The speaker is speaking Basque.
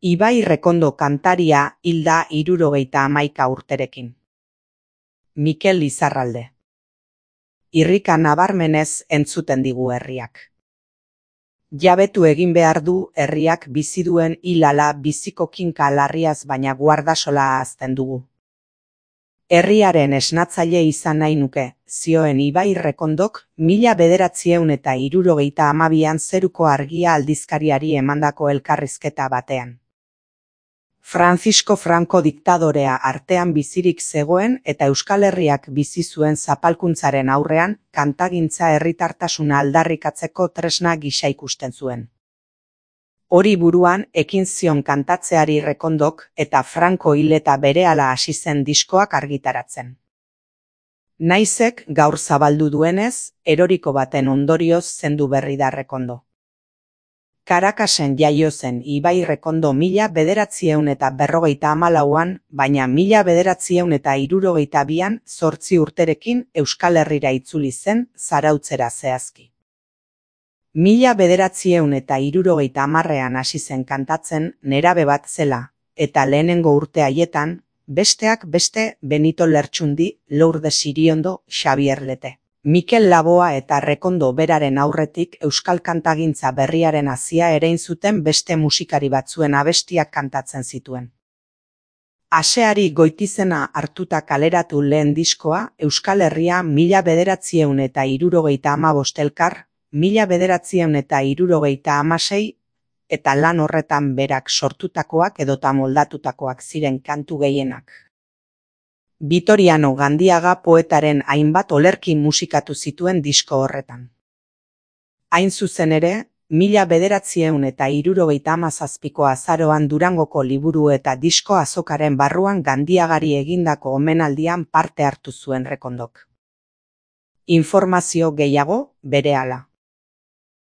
Ibai Rekondo kantaria hil da 71 urterekin. Mikel Lizarralde. Irrika nabarmenez entzuten digu herriak. Jabetu egin behar du herriak bizi duen hilala biziko kinka larriaz baina guardasola ahazten dugu. Herriaren esnatzaile izan nahi nuke, zioen Ibai Rekondok 1972an Zeruko Argia aldizkariari emandako elkarrizketa batean. Francisco Franco diktadorea artean bizirik zegoen eta Euskal Herriak bizi zuen zapalkuntzaren aurrean kantagintza herritartasuna aldarrikatzeko tresna gisa ikusten zuen. Hori buruan ekin zion kantatzeari Rekondok eta Franco hil eta berehala hasi zen diskoak argitaratzen. Naizek gaur zabaldu duenez, eroriko baten ondorioz zendu berri da Rekondo. Caracasen jaio zen Ibai Rekondo 1954an, baina 1972an 8 urterekin Euskal Herrira itzuli zen Zarautzera zehazki. 1970an hasi zen kantatzen nerabe bat zela, eta lehenengo urte haietan, besteak beste Benito Lertxundi, Lourdes Iriondo, Xabier Lete, Mikel Laboa eta Rekondo beraren aurretik euskal kantagintza berriaren hazia erein zuten beste musikari batzuen abestiak kantatzen zituen. Aseari Goitizena hartuta kaleratu lehen diskoa Euskal Herria 1975 elkar, 1976 eta lan horretan berak sortutakoak edota moldatutakoak ziren kantu gehienak. Vitoriano Gandiaga poetaren hainbat olerki musikatu zituen disko horretan. Hain zuzen ere, 1977ko azaroan Durangoko liburu eta disko azokaren barruan Gandiagari egindako omenaldian parte hartu zuen Rekondok. Informazio gehiago berehala.